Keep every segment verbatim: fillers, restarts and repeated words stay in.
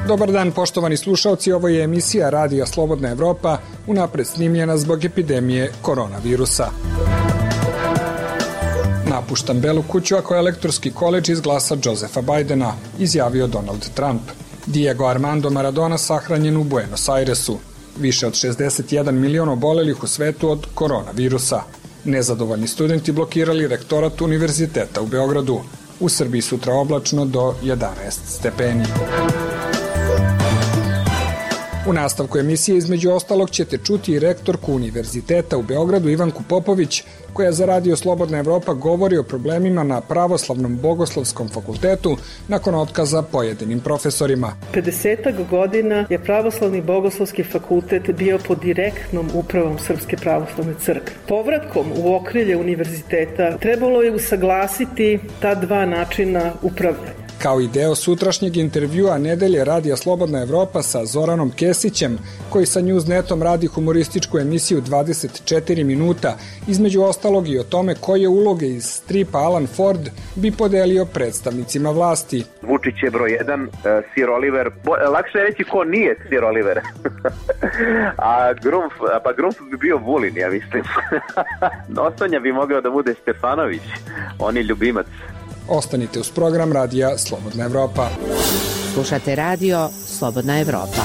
Dobar dan, poštovani slušalci, ovo je emisija Radija Slobodna Evropa, unapred snimljena zbog epidemije koronavirusa. Napuštam Belu kuću ako elektorski koledž izglasa Josefa Bajdena, izjavio Donald Trump. Diego Armando Maradona sahranjen u Buenos Airesu. Više od šezdeset jedan milion obolelih u svetu od koronavirusa. Nezadovoljni studenti blokirali rektorat Univerziteta u Beogradu. U Srbiji sutra oblačno do jedanaest stepeni. U nastavku emisije između ostalog ćete čuti i rektorku Univerziteta u Beogradu Ivanku Popović, koja za Radio Slobodna Evropa govori o problemima na Pravoslavnom bogoslovskom fakultetu nakon otkaza pojedinim profesorima. pedesetak godina je Pravoslavni bogoslovski fakultet bio pod direktnom upravom Srpske pravoslavne crkve. Povratkom u okrilje univerziteta trebalo je usaglasiti ta dva načina upravljanja. Kao i deo sutrašnjeg intervjua nedelje Radija Slobodna Evropa sa Zoranom Kesićem, koji sa Newsnetom radi humorističku emisiju dvadeset četiri minuta, između ostalog i o tome koje uloge iz stripa Alan Ford bi podelio predstavnicima vlasti. Vučić je broj jedan, Sir Oliver, bo, lakše je reći ko nije Sir Oliver. a Grumf, pa Grumf bi bio Vulin, ja mislim. Nosonja bi mogao da bude Stefanović, on je ljubimac. Ostanite uz program Radija Slobodna Evropa. Slušate Radio Slobodna Evropa.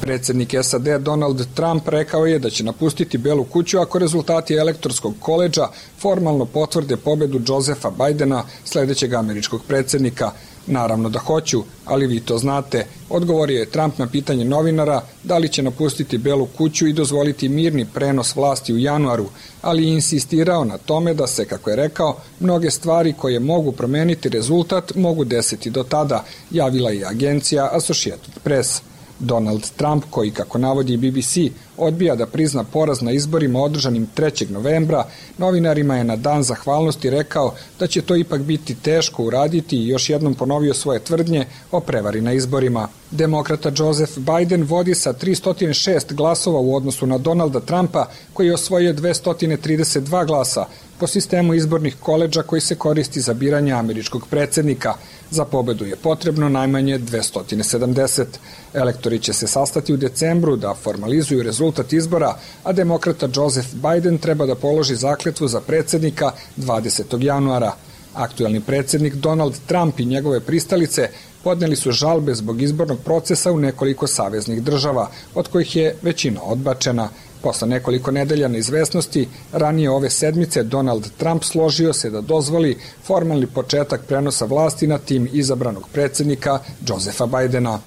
Predsjednik S A D Donald Trump rekao je da će napustiti Belu kuću ako rezultati elektorskog koledža formalno potvrde pobedu Josefa Bajdena, sledećeg američkog predsjednika. Naravno da hoću, ali vi to znate, odgovorio je Trump na pitanje novinara da li će napustiti Belu kuću i dozvoliti mirni prenos vlasti u januaru, ali je insistirao na tome da se, kako je rekao, mnoge stvari koje mogu promeniti rezultat mogu desiti do tada, javila je agencija Associated Press. Donald Trump, koji, kako navodi B B C, odbija da prizna poraz na izborima održanim trećeg novembra, novinarima je na dan zahvalnosti rekao da će to ipak biti teško uraditi i još jednom ponovio svoje tvrdnje o prevari na izborima. Demokrata Joseph Biden vodi sa tristo šest glasova u odnosu na Donalda Trumpa, koji je osvojio dvesta trideset dva glasa po sistemu izbornih koledža koji se koristi za biranje američkog predsjednika. Za pobedu je potrebno najmanje dvesta sedamdeset. Elektori će se sastati u decembru da formalizuju rezultat izbora, a demokrata Joseph Biden treba da položi zakletvu za predsjednika dvadesetog januara. Aktuelni predsjednik Donald Trump i njegove pristalice podneli su žalbe zbog izbornog procesa u nekoliko saveznih država, od kojih je većina odbačena. Posle nekoliko nedelja neizvesnosti, ranije ove sedmice Donald Trump složio se da dozvoli formalni početak prenosa vlasti na tim izabranog predsjednika Josefa Bajdena.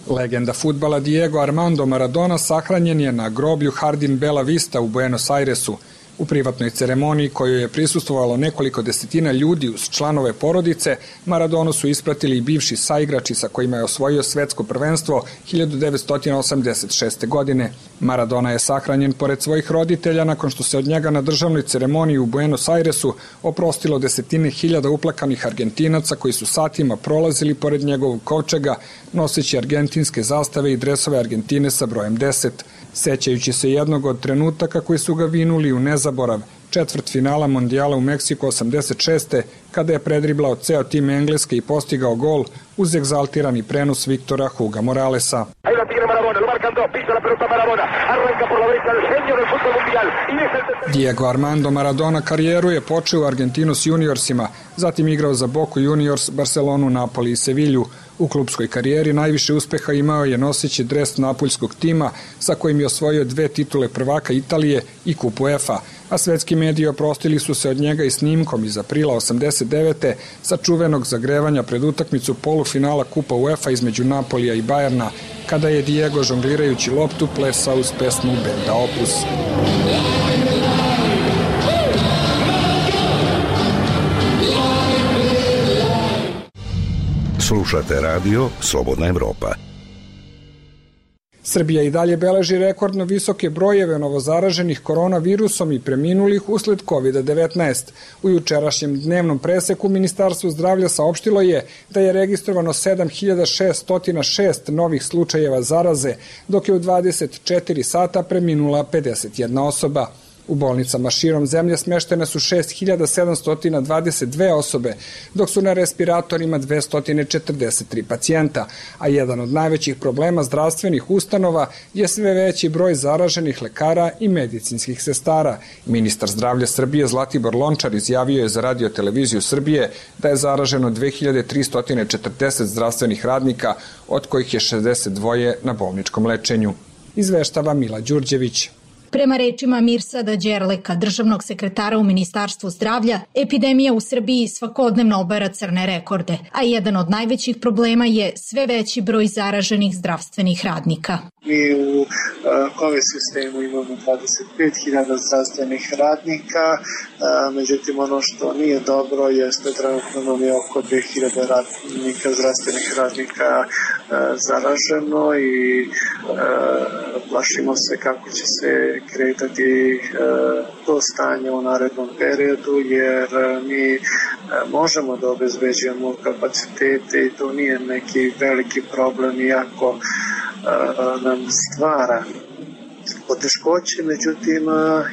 Legenda fudbala Diego Armando Maradona sahranjen je na groblju Jardín Bella Vista u Buenos Airesu. U privatnoj ceremoniji kojoj je prisustvovalo nekoliko desetina ljudi uz članove porodice, Maradonu su ispratili i bivši saigrači sa kojima je osvojio svetsko prvenstvo hiljadu devetsto osamdeset šeste. godine. Maradona je sahranjen pored svojih roditelja nakon što se od njega na državnoj ceremoniji u Buenos Airesu oprostilo desetine hiljada uplakanih Argentinaca koji su satima prolazili pored njegovog kovčega noseći argentinske zastave i dresove Argentine sa brojem deset. Sećajući se jednog od trenutaka koji su ga vinuli u nezaborav, četvrt finala mondijala u Meksiku osamdeset šeste. kada je predriblao ceo tim Engleske i postigao gol uz egzaltirani prenos Viktora Huga Moralesa. Diego Armando Maradona karijeru je počeo u Argentinos juniorsima, zatim igrao za Boku Juniors, Barcelonu, Napoli i Sevilju. U klupskoj karijeri najviše uspeha imao je noseći dres napoljskog tima sa kojim je osvojio dve titule prvaka Italije i kupu UEFA, a svetski mediji oprostili su se od njega i snimkom iz aprila osamdeset devete sa čuvenog zagrevanja pred utakmicu polufinala kupa UEFA između Napolija i Bajerna, kada je Diego žonglirajući loptu plesao uz pesmu benda Opus. Slušate radio Slobodna Evropa. Srbija i dalje beleži rekordno visoke brojeve novozaraženih koronavirusom i preminulih usled kovid devetnaest. U jučerašnjem dnevnom preseku Ministarstvo zdravlja saopštilo je da je registrovano sedam hiljada šeststo šest novih slučajeva zaraze, dok je u dvadeset četiri sata preminula pedeset jedna osoba. U bolnicama širom zemlje smeštene su šest hiljada sedamsto dvadeset dve osobe, dok su na respiratorima dvesta četrdeset tri pacijenta, a jedan od najvećih problema zdravstvenih ustanova je sve veći broj zaraženih lekara i medicinskih sestara. Ministar zdravlja Srbije Zlatibor Lončar izjavio je za Radio televiziju Srbije da je zaraženo dve hiljade tristo četrdeset zdravstvenih radnika, od kojih je šezdeset dva na bolničkom lečenju. Izveštava Mila Đurđević. Prema rečima Mirsada Đerleka, državnog sekretara u Ministarstvu zdravlja, epidemija u Srbiji svakodnevno obara crne rekorde, a jedan od najvećih problema je sve veći broj zaraženih zdravstvenih radnika. Mi u COVID sistemu imamo dvadeset pet hiljada zdravstvenih radnika, međutim ono što nije dobro jeste trenutno nam je oko dve hiljade radnika, zdravstvenih radnika zaraženo i plašimo se kako će se kretati to stanje u narednom periodu, jer mi možemo da obezbeđujemo kapacitete i to nije neki veliki problem, iako nam stvara poteškoće, međutim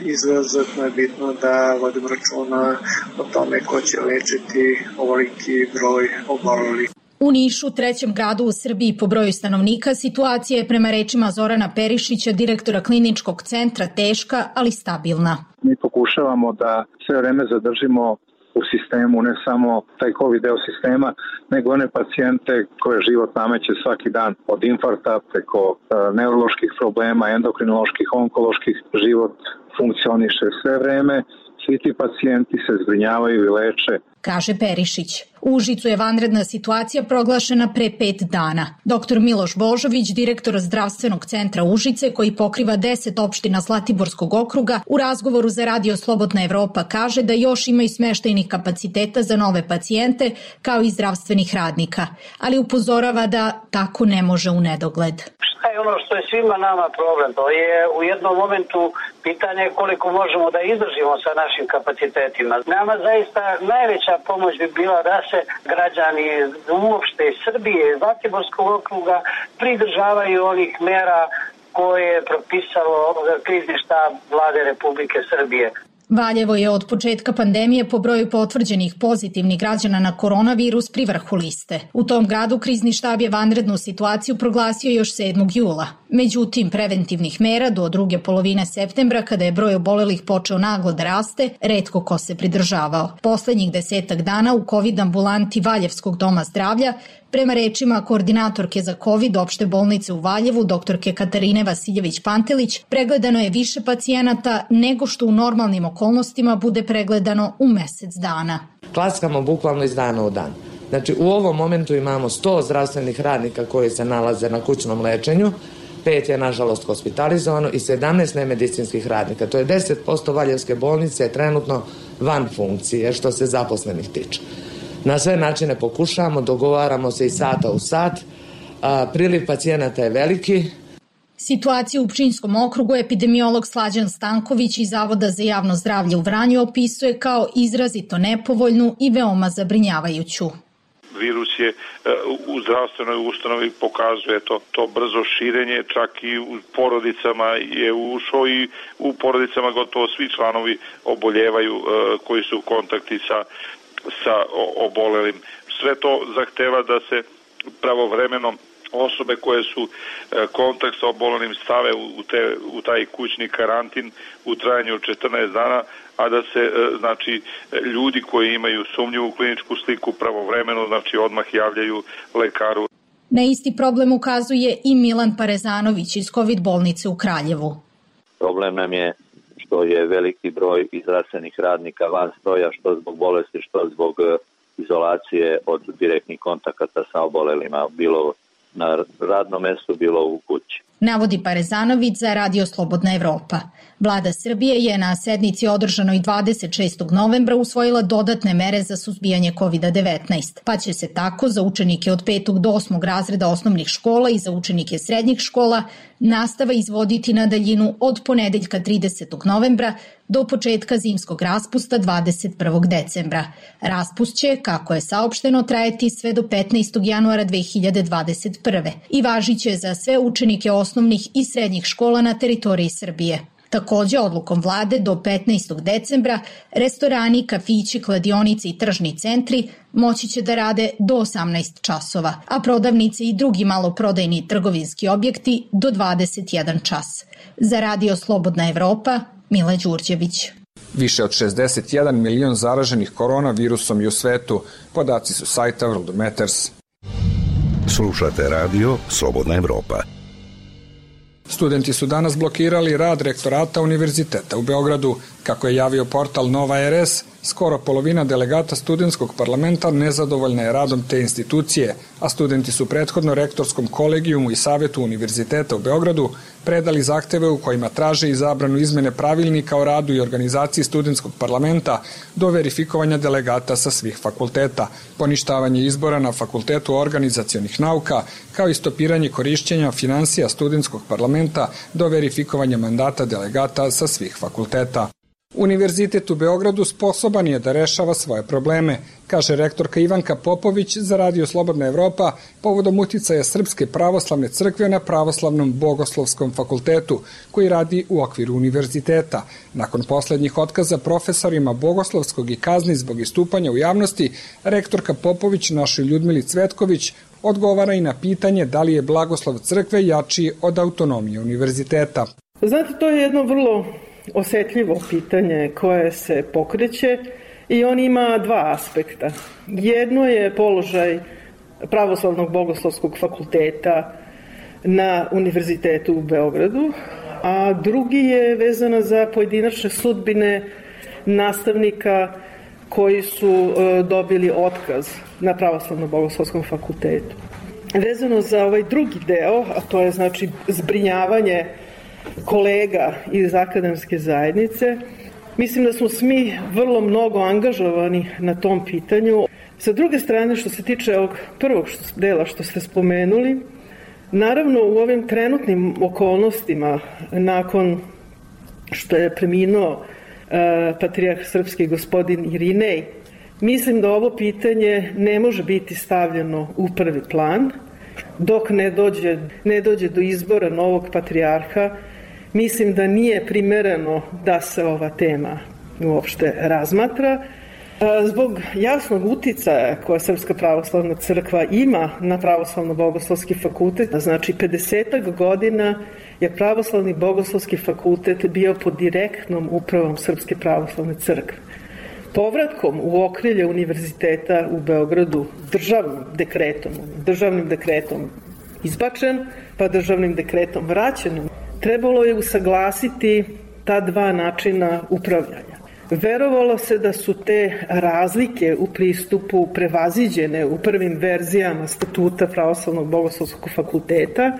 izuzetno je bitno da vodimo računa o tome ko će lečiti ovoliki broj obolelih. U Nišu, trećem gradu u Srbiji po broju stanovnika, situacija je prema rečima Zorana Perišića, direktora kliničkog centra, teška, ali stabilna. Mi pokušavamo da sve vreme zadržimo u sistemu ne samo taj COVID deo sistema, nego one pacijente koje život nameće svaki dan, od infarkta preko e, neuroloških problema, endokrinoloških, onkoloških, život funkcioniše sve vreme. Svi ti pacijenti se zbrinjavaju i leče, kaže Perišić. U Užicu je vanredna situacija proglašena pre pet dana. Doktor Miloš Božović, direktor zdravstvenog centra Užice, koji pokriva deset opština Zlatiborskog okruga, u razgovoru za Radio Slobodna Evropa kaže da još ima i smeštajnih kapaciteta za nove pacijente, kao i zdravstvenih radnika, ali upozorava da tako ne može u nedogled. Šta je ono što je svima nama problem? To je u jednom momentu pitanje koliko možemo da izdržimo sa našim kapacitetima. Nama zaista najveća pomoć bi bila da se građani uopšte Srbije, Zlatiborskog okruga pridržavaju onih mera koje je propisalo krizni štab Vlade Republike Srbije. Valjevo je od početka pandemije po broju potvrđenih pozitivnih građana na koronavirus pri vrhu liste. U tom gradu krizni štab je vanrednu situaciju proglasio još sedmog jula. Međutim, preventivnih mera do druge polovine septembra, kada je broj obolelih počeo naglo da raste, retko ko se pridržavao. Poslednjih desetak dana u COVID ambulanti Valjevskog doma zdravlja, prema rečima koordinatorke za COVID opšte bolnice u Valjevu, doktorke Katarine Vasiljević-Pantelić, pregledano je više pacijenata nego što u normalnim okolnostima bude pregledano u mesec dana. Klaskamo bukvalno iz dana u dan. Znači, u ovom momentu imamo sto zdravstvenih radnika koji se nalaze na kućnom lečenju, pet je nažalost hospitalizovano i sedamnaest nemedicinskih radnika. To je deset posto Valjevske bolnice je trenutno van funkcije što se zaposlenih tiče. Na sve načine pokušavamo, dogovaramo se i sata u sat, a, priliv pacijenata je veliki. Situaciju u Pčinjskom okrugu epidemiolog Slađan Stanković iz Zavoda za javno zdravlje u Vranju opisuje kao izrazito nepovoljnu i veoma zabrinjavajuću. Virus je u zdravstvenoj ustanovi pokazuje to, to brzo širenje, čak i u porodicama je ušao i u porodicama gotovo svi članovi oboljevaju koji su u kontakti sa, sa obolelim. Sve to zahteva da se pravovremeno osobe koje su kontakt sa obolelim stave u, te, u taj kućni karantin u trajanju od četrnaest dana, a da se znači ljudi koji imaju sumnjivu kliničku sliku pravovremeno znači odmah javljaju lekaru. Na isti problem ukazuje i Milan Parezanović iz COVID bolnice u Kraljevu. Problem nam je što je veliki broj zdravstvenih radnika van stroja, što zbog bolesti, što zbog izolacije od direktnih kontakata sa obolelima, bilo na radnom mestu, bilo u kući. navodi Parezanović za Radio Slobodna Evropa. Vlada Srbije je na sednici održanoj dvadeset šestog novembra usvojila dodatne mere za suzbijanje kovid devetnaest, pa će se tako za učenike od petog do osmog razreda osnovnih škola i za učenike srednjih škola nastava izvoditi na daljinu od ponedeljka tridesetog novembra do početka zimskog raspusta dvadeset prvog decembra. Raspust će, kako je saopšteno, trajati sve do petnaestog januara dve hiljade dvadeset prve i važiće za sve učenike osnovnih i srednjih škola na teritoriji Srbije. Takođe, odlukom vlade do petnaestog decembra restorani, kafići, kladionice i tržni centri moći će da rade do osamnaest časova, a prodavnice i drugi maloprodajni trgovinski objekti do dvadeset jedan čas. Za Radio Slobodna Evropa, Mila Đurđević. Više od šezdeset jedan milion zaraženih koronavirusom i u svetu. Podaci su sajta World Matters. Slušate Radio Slobodna Evropa. Studenti su danas blokirali rad rektorata Univerziteta u Beogradu. Kako je javio portal Nova R S, skoro polovina delegata studentskog parlamenta nezadovoljna je radom te institucije, a studenti su prethodno rektorskom kolegijumu i Savetu Univerziteta u Beogradu predali zahteve u kojima traže i zabranu izmene pravilnika o radu i organizaciji studentskog parlamenta do verifikovanja delegata sa svih fakulteta, poništavanje izbora na Fakultetu organizacionih nauka, kao i stopiranje korišćenja finansija studentskog parlamenta do verifikovanja mandata delegata sa svih fakulteta. Univerzitet u Beogradu sposoban je da rešava svoje probleme, kaže rektorka Ivanka Popović za Radio Slobodna Evropa povodom uticaja Srpske pravoslavne crkve na Pravoslavnom bogoslovskom fakultetu, koji radi u okviru univerziteta. Nakon poslednjih otkaza profesorima bogoslovskog i kazni zbog istupanja u javnosti, rektorka Popović našoj Ljudmili Cvetković odgovara i na pitanje da li je blagoslov crkve jači od autonomije univerziteta. Znate, to je jedno vrlo osetljivo pitanje koje se pokreće i on ima dva aspekta. Jedno je položaj Pravoslavnog bogoslovskog fakulteta na Univerzitetu u Beogradu, a drugi je vezana za pojedinačne sudbine nastavnika koji su dobili otkaz na Pravoslavnom bogoslovskom fakultetu. Vezano za ovaj drugi deo, a to je znači zbrinjavanje kolega iz akademske zajednice, mislim da smo svi vrlo mnogo angažovani na tom pitanju. Sa druge strane, što se tiče ovog prvog dela što ste spomenuli, naravno u ovim trenutnim okolnostima, nakon što je preminuo e, patrijarh srpski gospodin Irinej, mislim da ovo pitanje ne može biti stavljeno u prvi plan. Dok ne dođe, ne dođe do izbora novog patrijarha, mislim da nije primereno da se ova tema uopšte razmatra. Zbog jasnog uticaja koja Srpska pravoslavna crkva ima na Pravoslavno bogoslovski fakultet, znači pedesetak godina je Pravoslavni bogoslovski fakultet bio pod direktnom upravom Srpske pravoslavne crkve. Povratkom u okrilje univerziteta u Beogradu državnim dekretom, državnim dekretom izbačen, pa državnim dekretom vraćen, trebalo je usaglasiti ta dva načina upravljanja. Verovalo se da su te razlike u pristupu prevaziđene u prvim verzijama statuta Pravoslavnog bogoslovskog fakulteta.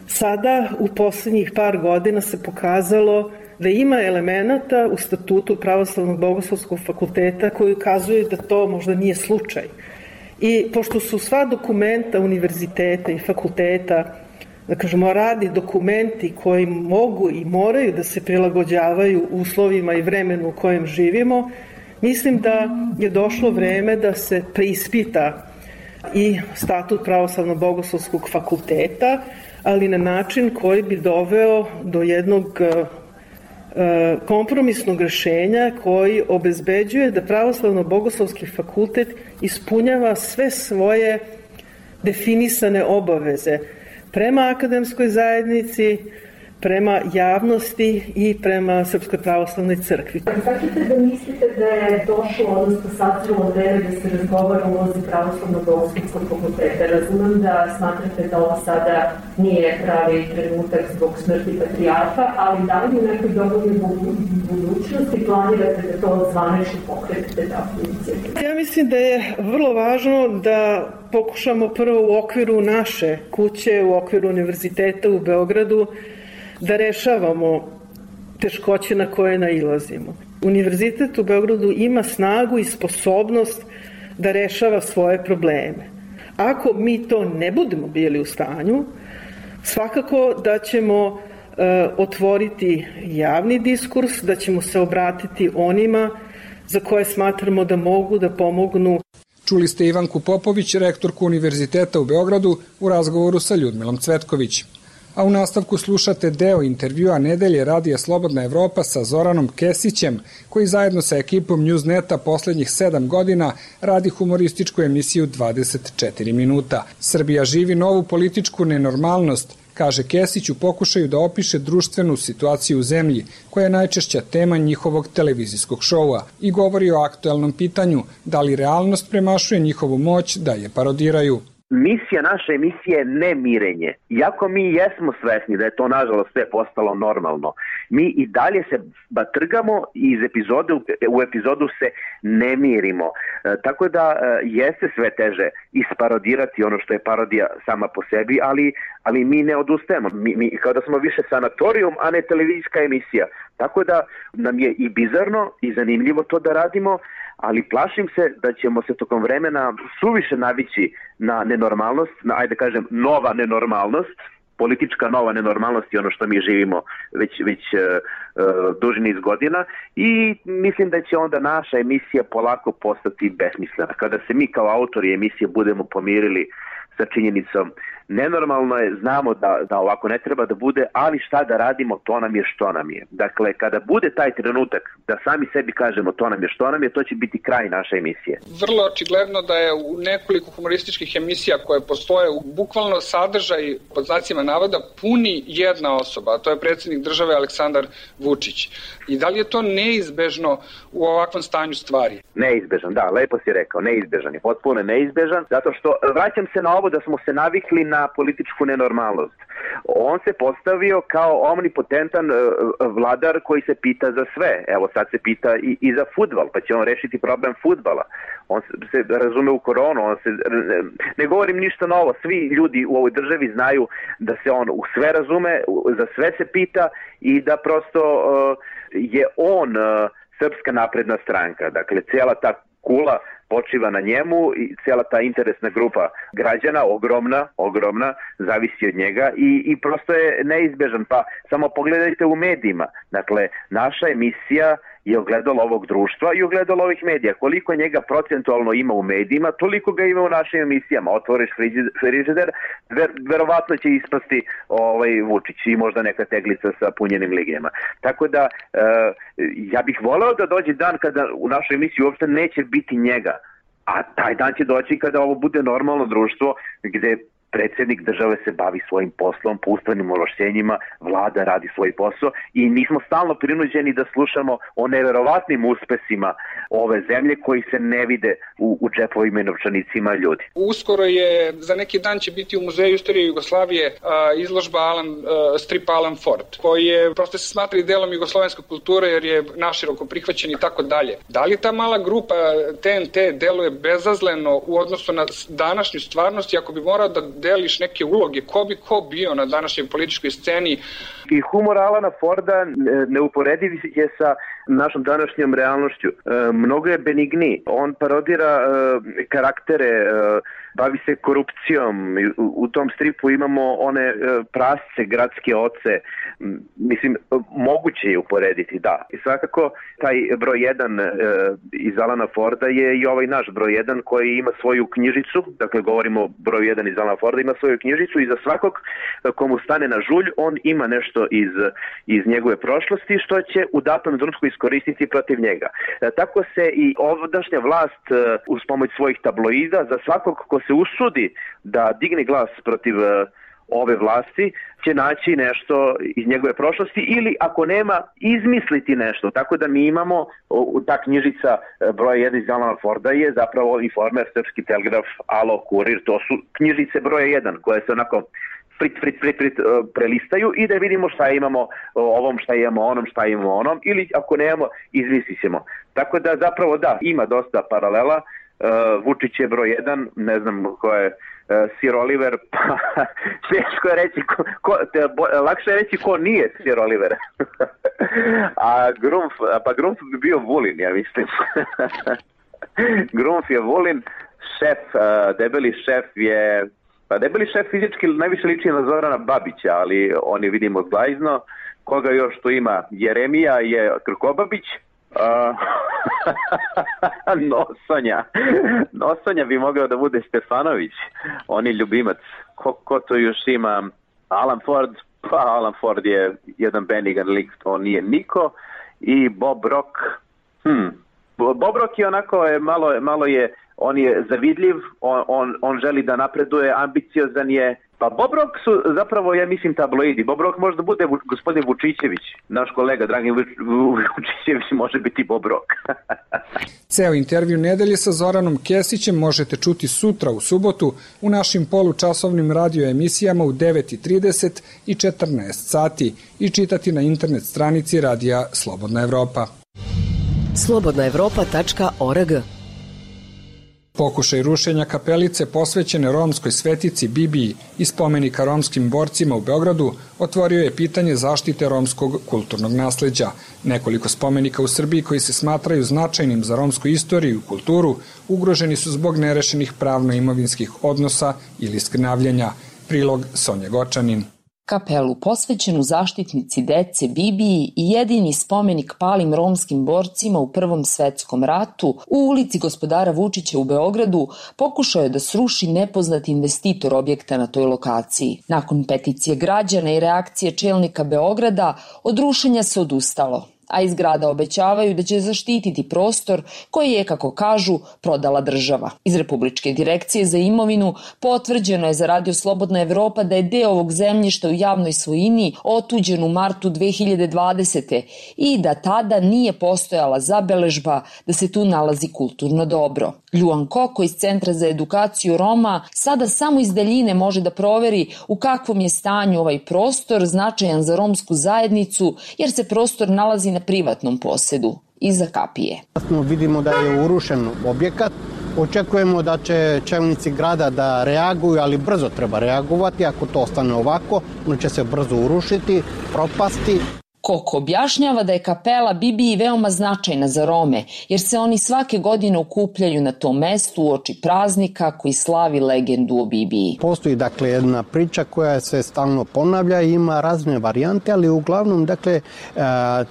Sada u poslednjih par godina se pokazalo da ima elemenata u statutu Pravoslavnog bogoslovskog fakulteta koji ukazuju da to možda nije slučaj. I pošto su sva dokumenta univerziteta i fakulteta, da kažemo, radni dokumenti koji mogu i moraju da se prilagođavaju uslovima i vremenu u kojem živimo, mislim da je došlo vreme da se preispita i statut Pravoslavnog bogoslovskog fakulteta, ali na način koji bi doveo do jednog kompromisnog rešenja koji obezbeđuje da Pravoslavno bogoslovski fakultet ispunjava sve svoje definisane obaveze prema akademskoj zajednici, prema javnosti i prema Srpskoj pravoslavnoj crkvi. Značite da mislite da je došlo, odnosno sazrelo vreme da se razgovara o ulozi Pravoslavnog bogoslovskog fakulteta? Razumem da smatrate da ovo sada nije pravi trenutak zbog smrti patrijarha, ali da li u nekoj dovoljnoj budućnosti planirate da to zvanično pokretite takvu inicijativu? Ja mislim da je vrlo važno da pokušamo prvo u okviru naše kuće, u okviru univerziteta u Beogradu, da rešavamo teškoće na koje nailazimo. Univerzitet u Beogradu ima snagu i sposobnost da rešava svoje probleme. Ako mi to ne budemo bili u stanju, svakako da ćemo e, otvoriti javni diskurs, da ćemo se obratiti onima za koje smatramo da mogu da pomognu. Čuli ste Ivanku Popović, rektorku Univerziteta u Beogradu, u razgovoru sa Ljudmilom Cvetković. A u nastavku slušate deo intervjua nedelje radija Slobodna Evropa sa Zoranom Kesićem, koji zajedno sa ekipom Newsneta poslednjih sedam godina radi humorističku emisiju dvadeset četiri minuta. Srbija živi novu političku nenormalnost, kaže Kesić u pokušaju da opiše društvenu situaciju u zemlji, koja je najčešća tema njihovog televizijskog šoua, i govori o aktuelnom pitanju da li realnost premašuje njihovu moć da je parodiraju. Misija naše emisije je nemirenje. Iako mi jesmo svesni da je to nažalost sve postalo normalno, mi i dalje se batrgamo i iz epizode u epizodu se ne mirimo. E, tako da e, jeste sve teže isparodirati ono što je parodija sama po sebi, ali, ali mi ne odustajemo. Mi, mi kao da smo više sanatorijum, a ne televizijska emisija. Tako da nam je i bizarno i zanimljivo to da radimo, ali plašim se da ćemo se tokom vremena suviše navići na nenormalnost, na, ajde kažem, nova nenormalnost, politička nova nenormalnost je ono što mi živimo već, već uh, uh, duži niz godina, i mislim da će onda naša emisija polako postati besmislena. Kada se mi kao autori emisije budemo pomirili sa činjenicom nenormalno je, znamo da, da ovako ne treba da bude, ali šta da radimo, to nam je što nam je. Dakle, kada bude taj trenutak da sami sebi kažemo to nam je što nam je, to će biti kraj naše emisije. Vrlo očigledno da je u nekoliko humorističkih emisija koje postoje u bukvalno sadržaj pod znacima navoda puni jedna osoba, a to je predsjednik države Aleksandar Vučić. I da li je to neizbežno u ovakvom stanju stvari? Neizbežan, da, lepo si rekao, neizbežan je, potpuno neizbežan, zato što vraćam se na ovo da smo se navikli na političku nenormalnost. On se postavio kao omnipotentan vladar koji se pita za sve. Evo sad se pita i, i za fudbal, pa će on rešiti problem fudbala. On se razume u koronu, on se, ne govorim ništa novo, svi ljudi u ovoj državi znaju da se on u sve razume, za sve se pita i da prosto uh, je on uh, Srpska napredna stranka. Dakle, cijela ta kula počiva na njemu i cijela ta interesna grupa građana, ogromna, ogromna, zavisi od njega i, i prosto je neizbežan. Pa samo pogledajte u medijima. Dakle, naša emisija je ogledalo ovog društva i ogledalo ovih medija. Koliko njega procentualno ima u medijima, toliko ga ima u našim emisijama. Otvoriš frižider, ver, verovatno će ispasti ovaj, Vučić i možda neka teglica sa punjenim ligijama. Tako da, e, ja bih voleo da dođe dan kada u našoj emisiji uopšte neće biti njega. A taj dan će doći kada ovo bude normalno društvo gde predsjednik države se bavi svojim poslom, po ustavnim ovlašćenjima, vlada radi svoj posao i mi smo stalno prinuđeni da slušamo o neverovatnim uspesima ove zemlje koji se ne vide u, u džepovima i novčanicima ljudi. Uskoro je, za neki dan će biti u Muzeju istorije Jugoslavije a, izložba Alan, a, stripa Alan Ford, koji je, prosto se smatra i delom jugoslovenske kulture jer je naširoko prihvaćen i tako dalje. Da li ta mala grupa T N T deluje bezazleno u odnosu na današnju stvarnost i ako bi morao da deliš neke uloge, ko bi ko bio na današnjoj političkoj sceni? I humor Alana Forda neuporediv je sa našom današnjom realnošću. E, mnogo je benigniji. On parodira e, karaktere, e, bavi se korupcijom. U, u tom stripu imamo one e, prasce, gradske oce. Mislim, moguće je uporediti, da. I svakako, taj broj jedan e, iz Alana Forda je i ovaj naš broj jedan koji ima svoju knjižicu, dakle govorimo broj jedan iz Alana Forda, ima svoju knjižicu i za svakog komu stane na žulj, on ima nešto iz, iz njegove prošlosti što će u datom trenutku iskoristiti protiv njega. E, tako se i ovdašnja vlast e, uz pomoć svojih tabloida za svakog ko se usudi da digne glas protiv e, ove vlasti će naći nešto iz njegove prošlosti ili ako nema, izmisliti nešto. Tako da mi imamo, ta knjižica broj jedan iz Alana Forda je zapravo Informer, Srpski telegraf, Alo, Kurir, to su knjižice broja jedan koje se onako frit, frit, frit, frit prelistaju i da vidimo šta imamo ovom, šta imamo onom, šta imamo onom ili ako nemamo, izmislit ćemo. Tako da zapravo da, ima dosta paralela. Vučić je broj jedan, ne znam ko je Sir Oliver, pa teško je reći, ko, ko, te, bo, lakše je reći ko nije Sir Oliver. A Grumf, pa Grumf bi bio Vulin, ja mislim. Grumf je Vulin, šef, debeli šef je, pa debeli šef fizički najviše liči na Zorana Babića, ali on je vidimo zglajzno. Koga još tu ima? Jeremija je Krkobabić. Uh, Nosonja Nosonja bi mogao da bude Stefanović, on je ljubimac. Ko, ko to još ima? Alan Ford, pa Alan Ford je jedan benigan lik, to nije niko. I Bob Rock, hm. Bob Rock je onako, je, malo, malo je, on je zavidljiv, on, on, on želi da napreduje, ambiciozan je. Pa Bob Rock su zapravo, ja mislim, tabloidi. Bob Rock može da bude gospodin Vučićević. Naš kolega Dragin Vučićević može biti Bob Rock. Ceo intervju nedelje sa Zoranom Kesićem možete čuti sutra u subotu u našim polučasovnim radio emisijama u devet i trideset i četrnaest sati i čitati na internet stranici radija Slobodna Evropa. slobodna evropa tačka org. Pokušaj rušenja kapelice posvećene romskoj svetici Bibiji i spomenika romskim borcima u Beogradu otvorio je pitanje zaštite romskog kulturnog nasleđa. Nekoliko spomenika u Srbiji koji se smatraju značajnim za romsku istoriju i kulturu ugroženi su zbog nerešenih pravno-imovinskih odnosa ili skrnavljenja. Prilog Sonja Gočanin. Kapelu posvećenu zaštitnici dece Bibiji i jedini spomenik palim romskim borcima u Prvom svetskom ratu u ulici Gospodara Vučića u Beogradu pokušao je da sruši nepoznati investitor objekta na toj lokaciji. Nakon peticije građana i reakcije čelnika Beograda, od rušenja se odustalo, a iz grada obećavaju da će zaštititi prostor koji je, kako kažu, prodala država. Iz Republičke direkcije za imovinu potvrđeno je za Radio Slobodna Evropa da je deo ovog zemljišta u javnoj svojini otuđen u martu dve hiljade dvadesete. i da tada nije postojala zabeležba da se tu nalazi kulturno dobro. Ljuan Koko iz Centra za edukaciju Roma sada samo iz daljine može da proveri u kakvom je stanju ovaj prostor značajan za romsku zajednicu, jer se prostor nalazi na privatnom posedu, iza kapije. Vidimo da je urušen objekat. Očekujemo da će čelnici grada da reaguju, ali brzo treba reagovati. Ako to ostane ovako, on će se brzo urušiti, propasti. Koko objašnjava da je kapela Bibiji veoma značajna za Rome, jer se oni svake godine okupljaju na tom mestu uoči praznika koji slavi legendu o Bibiji. Postoji dakle jedna priča koja se stalno ponavlja i ima razne varijante, ali uglavnom dakle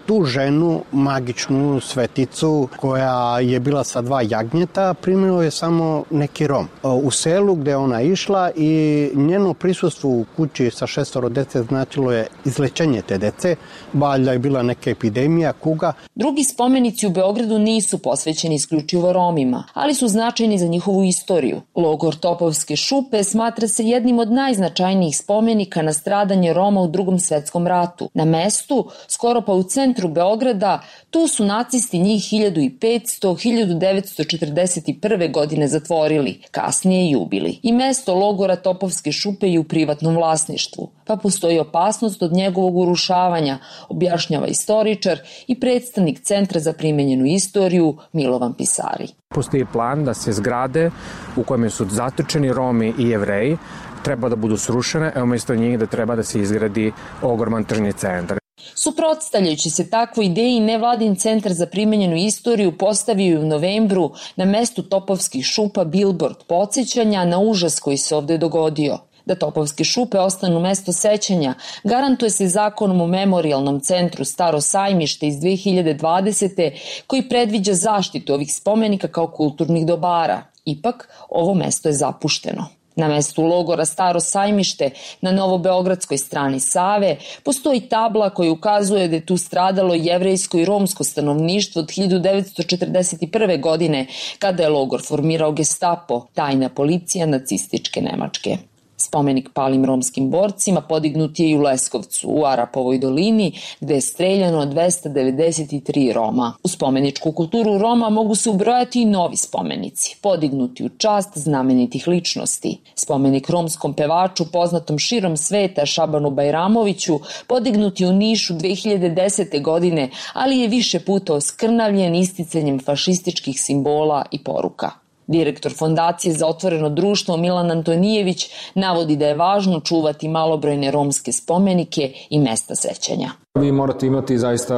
tu ženu, magičnu sveticu koja je bila sa dva jagnjeta, primio je samo neki Rom. U selu gde ona išla i njeno prisustvo u kući sa šestoro dece značilo je izlečenje te dece. Valjda je bila neka epidemija, kuga. Drugi spomenici u Beogradu nisu posvećeni isključivo Romima, ali su značajni za njihovu istoriju. Logor Topovske šupe smatra se jednim od najznačajnijih spomenika na stradanje Roma u Drugom svetskom ratu. Na mestu, skoro pa u centru Beograda, tu su nacisti njih hiljadu petsto do hiljadu devetsto četrdeset prve. godine zatvorili, kasnije i ubili. I mesto logora Topovske šupe je u privatnom vlasništvu, pa postoji opasnost od njegovog urušavanja, objašnjava istoričar i predstavnik Centra za primenjenu istoriju Milovan Pisari. Postoji plan da se zgrade u kojima su zatočeni Romi i Jevreji treba da budu srušene, a umesto njih da treba da se izgradi ogroman tržni centar. Suprotstavljajući se takvoj ideji, nevladin Centar za primenjenu istoriju postavio je u novembru na mestu Topovskih šupa bilbord podsjećanja na užas koji se ovde dogodio. Da Topovske šupe ostanu mesto sećanja garantuje se zakonom o Memorijalnom centru Staro sajmište iz dve hiljade dvadesete. koji predviđa zaštitu ovih spomenika kao kulturnih dobara. Ipak, ovo mesto je zapušteno. Na mestu logora Staro sajmište na novobeogradskoj strani Save postoji tabla koja ukazuje da je tu stradalo jevrejsko i romsko stanovništvo od hiljadu devetsto četrdeset prve. godine kada je logor formirao Gestapo, tajna policija nacističke Nemačke. Spomenik palim romskim borcima podignut je i u Leskovcu, u Arapovoj dolini, gde je streljano dvesta devedeset tri Roma. U spomeničku kulturu Roma mogu se ubrojati i novi spomenici, podignuti u čast znamenitih ličnosti. Spomenik romskom pevaču poznatom širom sveta Šabanu Bajramoviću podignut je u Nišu dve hiljade desete. godine, ali je više puta oskrnavljen isticanjem fašističkih simbola i poruka. Direktor Fondacije za otvoreno društvo Milan Antonijević navodi da je važno čuvati malobrojne romske spomenike i mesta sećanja. Vi morate imati zaista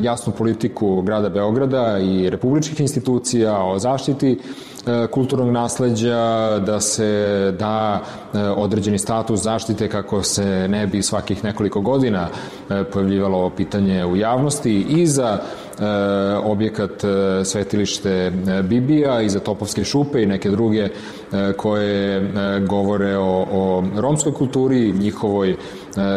jasnu politiku grada Beograda i republičkih institucija o zaštiti kulturnog nasleđa, da se da određeni status zaštite kako se ne bi svakih nekoliko godina pojavljivalo pitanje u javnosti i za objekat svetilište Bibija i za Topovske šupe i neke druge koje govore o, o romskoj kulturi, njihovoj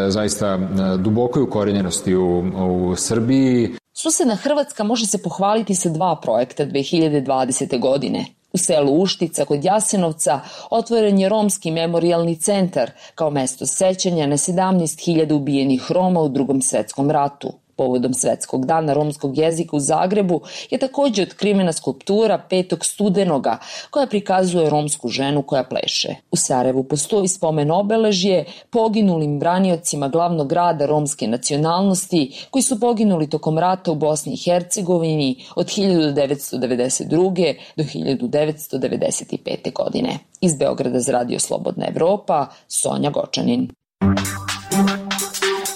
zaista dubokoj ukorenjenosti u, u Srbiji. Susedna Hrvatska može se pohvaliti sa dva projekta dve hiljade dvadesete. godine. U selu Uštica kod Jasenovca otvoren je Romski memorijalni centar kao mesto sećanja na sedamnaest hiljada ubijenih Roma u Drugom svetskom ratu. Povodom Svetskog dana romskog jezika u Zagrebu je takođe otkrivena skulptura petog studenoga koja prikazuje romsku ženu koja pleše. U Sarajevu postoji spomen obeležje poginulim braniocima glavnog grada romske nacionalnosti koji su poginuli tokom rata u Bosni i Hercegovini od hiljadu devetsto devedeset druge. do hiljadu devetsto devedeset pete. godine. Iz Beograda za Radio Slobodna Evropa, Sonja Gočanin.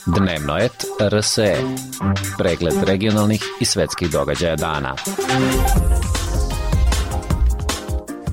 Dnevnoet R S E. Pregled regionalnih i svetskih događaja dana.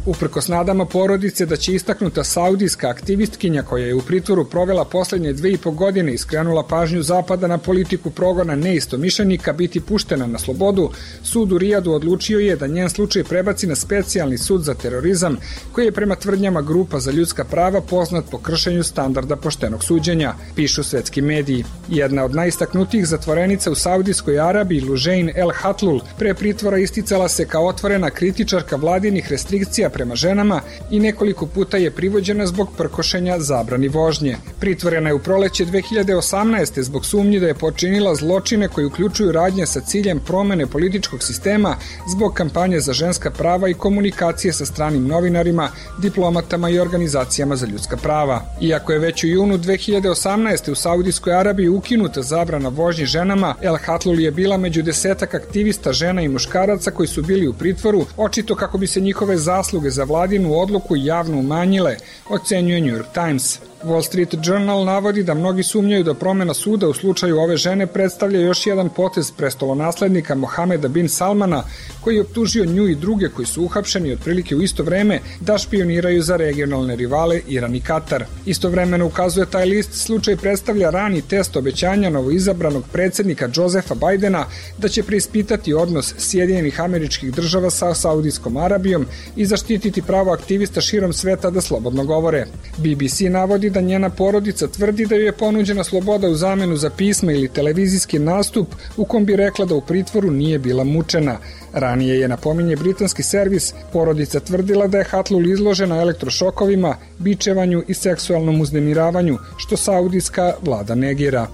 Uprkos nadama porodice da će istaknuta saudijska aktivistkinja koja je u pritvoru provela poslednje dve i po godine i skrenula pažnju Zapada na politiku progona neistomišljenika biti puštena na slobodu, sud u Rijadu odlučio je da njen slučaj prebaci na specijalni sud za terorizam koji je prema tvrdnjama grupa za ljudska prava poznat po kršenju standarda poštenog suđenja, pišu svetski mediji. Jedna od najistaknutijih zatvorenica u Saudijskoj Arabiji, Lužejn El Hatlul, pre pritvora isticala se kao otvorena kritičarka vladinih restrikcija prema ženama i nekoliko puta je privođena zbog prkošenja zabrani vožnje. Pritvorena je u proleće dve hiljade osamnaeste. zbog sumnji da je počinila zločine koji uključuju radnje sa ciljem promene političkog sistema zbog kampanje za ženska prava i komunikacije sa stranim novinarima, diplomatama i organizacijama za ljudska prava. Iako je već u junu dve hiljade osamnaeste. u Saudijskoj Arabiji ukinuta zabrana vožnje ženama, El Hatlul je bila među desetak aktivista žena i muškaraca koji su bili u pritvoru, očito kako bi se njihove zasluge za vladinu odluku javno umanjile, ocenjuje New York Times. Wall Street Journal navodi da mnogi sumnjaju da promena suda u slučaju ove žene predstavlja još jedan potez prestolonaslednika Mohameda bin Salmana, koji je optužio nju i druge koji su uhapšeni otprilike u isto vreme da špioniraju za regionalne rivale Iran i Katar. Istovremeno, ukazuje taj list, slučaj predstavlja rani test obećanja novoizabranog predsednika Josefa Bajdena da će preispitati odnos Sjedinjenih Američkih Država sa Saudijskom Arabijom i zaštititi pravo aktivista širom sveta da slobodno govore. B B C navodi da njena porodica tvrdi da joj je ponuđena sloboda u zamenu za pisma ili televizijski nastup u kom bi rekla da u pritvoru nije bila mučena. Ranije je, napominje britanski servis, porodica tvrdila da je Hatlul izložena elektrošokovima, bičevanju i seksualnom uznemiravanju, što saudijska vlada negira.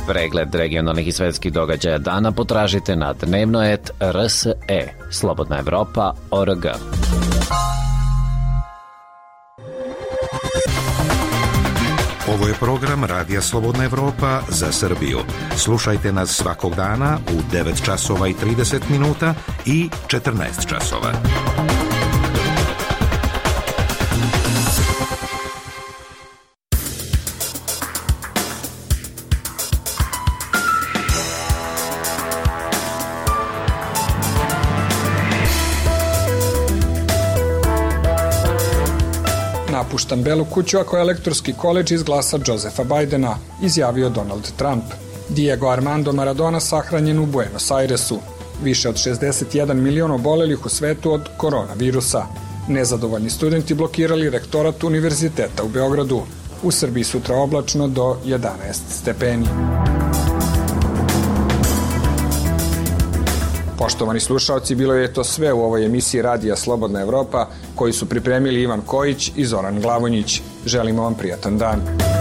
Pregled regionalnih i svetskih događaja dana potražite na dnevnoet R S E, Slobodna Evropa, O R G. Ovo je program Radija Slobodna Evropa za Srbiju. Slušajte nas svakog dana u devet časova i trideset minuta i četrnaest časova. Napuštam Belu kuću ako elektorski koledž izglasa Josefa Bajdena, izjavio Donald Trump. Diego Armando Maradona sahranjen u Buenos Airesu. Više od šezdeset jedan milion obolelih u svetu od koronavirusa. Nezadovoljni studenti blokirali rektorat Univerziteta u Beogradu. U Srbiji sutra oblačno do jedanaest stepeni. Poštovani slušalci, bilo je to sve u ovoj emisiji Radija Slobodna Evropa, koju su pripremili Ivan Kojić i Zoran Glavonjić. Želimo vam prijatan dan.